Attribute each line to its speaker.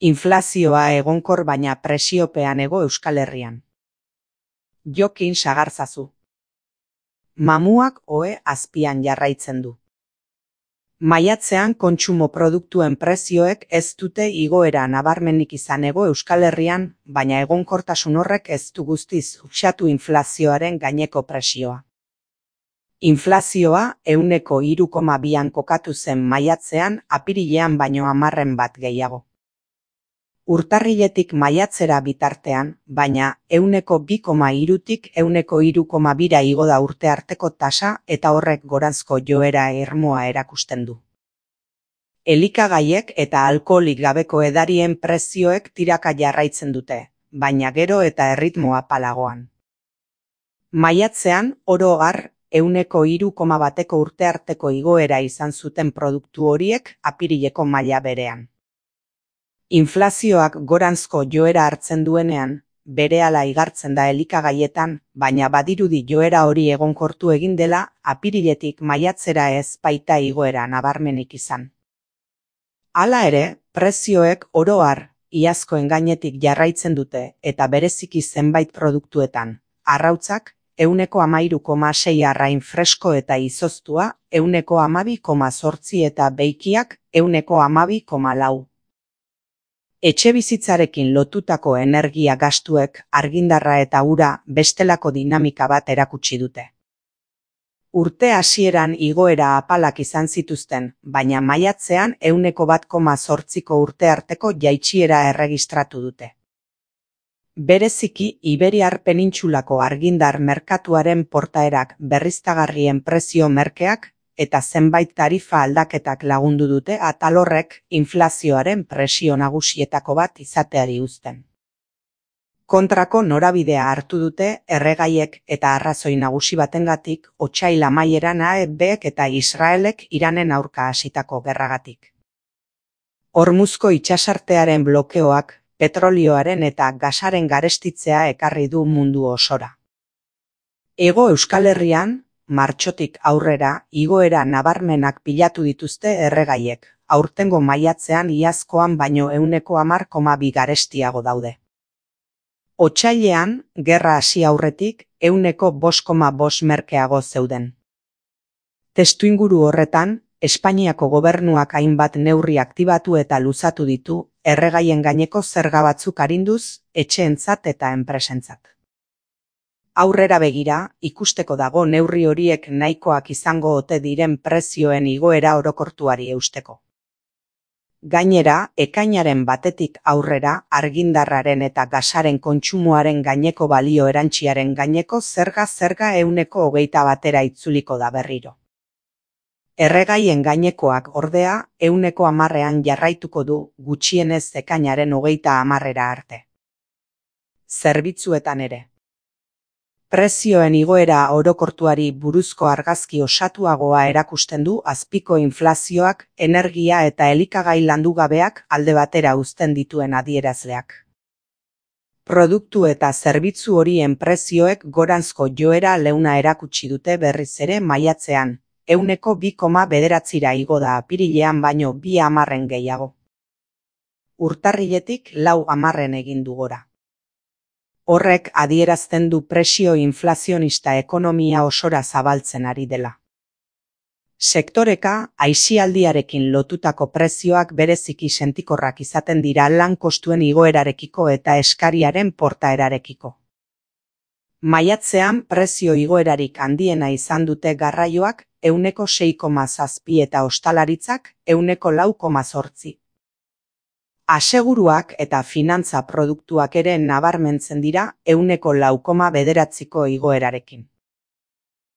Speaker 1: Inflazioa egonkor baina presiopean ego Euskal Herrian. Jokin sagarzazu. Mamuak ohe azpian jarraitzen du. Maiatzean kontsumo produktuen prezioek ez dute igoera nabarmenik izan ego Euskal Herrian, baina egonkortasun horrek ez du guztiz uxatu inflazioaren gaineko presioa. Inflazioa 3,2an kokatu zen maiatzean, apirilean baino 10 bat gehiago. Urtarriletik maiatzera bitartean, baina 2,3tik 3,2ra igo da urte arteko tasa eta horrek goranzko joera irmoa erakusten du. Elikagaiek eta alkoholik gabeko edarien prezioek tiraka jarraitzen dute, baina gero eta erritmo apalagoan. Maiatzean, oro har, 3,1ko urte arteko igoera izan zuten produktu horiek apirileko maila berean. Inflazioak goranzko joera hartzen duenean, berehala igartzen da elikagaietan, baina badirudi joera hori egonkortu egin dela, apiriletik maiatzera ez baita igoera nabarmenik izan. Hala ere, prezioek oro har, iazkoen gainetik jarraitzen dute eta bereziki zenbait produktuetan, arrautzak 13,6 arrain fresko eta izoztua, 12,8 eta beikiak 12,4. Etxebizitzarekin lotutako energia gastuek argindarra eta ura bestelako dinamika bat erakutsi dute. Urte hasieran igoera apalak izan zituzten, baina maiatzean 1,8ko urte arteko jaitsiera erregistratu dute. Bereziki Iberiar penintsulako argindar merkatuaren portaerak berriztagarrien prezio merkeak eta zenbait tarifa aldaketak lagundu dute atal horrek inflazioaren presio nagusietako bat izateari uzten. Kontrako norabidea hartu dute erregaiek eta arrazoi nagusi batengatik otsail amaieran AEBek eta Israelek Iranen aurka hasitako gerragatik. Hormuzko itsasartearen blokeoak petrolioaren eta gasaren garestitzea ekarri du mundu osora. Hego Euskal Herrian, martxotik aurrera igoera nabarmenak pilatu dituzte erregaiek, aurtengo maiatzean iazkoan baino 10,2 garestiago daude. Otsailean, gerra hasi aurretik 5,5 merkeago zeuden. Testuinguru horretan, Espainiako gobernuak hainbat neurri aktibatu eta luzatu ditu, erregaien gaineko zerga batzuk arinduz, etxeentzat eta enpresentzat. Aurrera begira, ikusteko dago neurri horiek nahikoak izango ote diren prezioen igoera orokortuari eusteko. Gainera, ekainaren batetik aurrera argindarraren eta gasaren kontsumoaren gaineko balio erantsiaren gaineko zerga 20%era itzuliko da berriro. Erregaien gainekoak ordea 10,10an jarraituko du gutxienez ekainaren 30 arte. Zerbitzuetan ere. Prezioen igoera orokortuari buruzko argazki osatuagoa erakusten du azpiko inflazioak, energia eta elikagai landugabeak alde batera uzten dituen adierazleak. Produktu eta zerbitzu horien prezioek goranzko joera leuna erakutsi dute berriz ere maiatzean, 2,9ra igo da apirilean baino 2,10 gehiago. Urtarriletik 4,10 egin du gora. Horrek adierazten du presio inflazionista ekonomia osora zabaltzen ari dela. Sektoreka, aisialdiarekin lotutako prezioak bereziki sentikorrak izaten dira lan kostuen igoerarekiko eta eskariaren portaerarekiko. Maiatzean prezio igoerarik handiena izan dute garraioak 6,7 eta ostalaritzak 4,8. Aseguruak eta finantza produktuak ere nabarmentzen dira 4,9ko igoerarekin.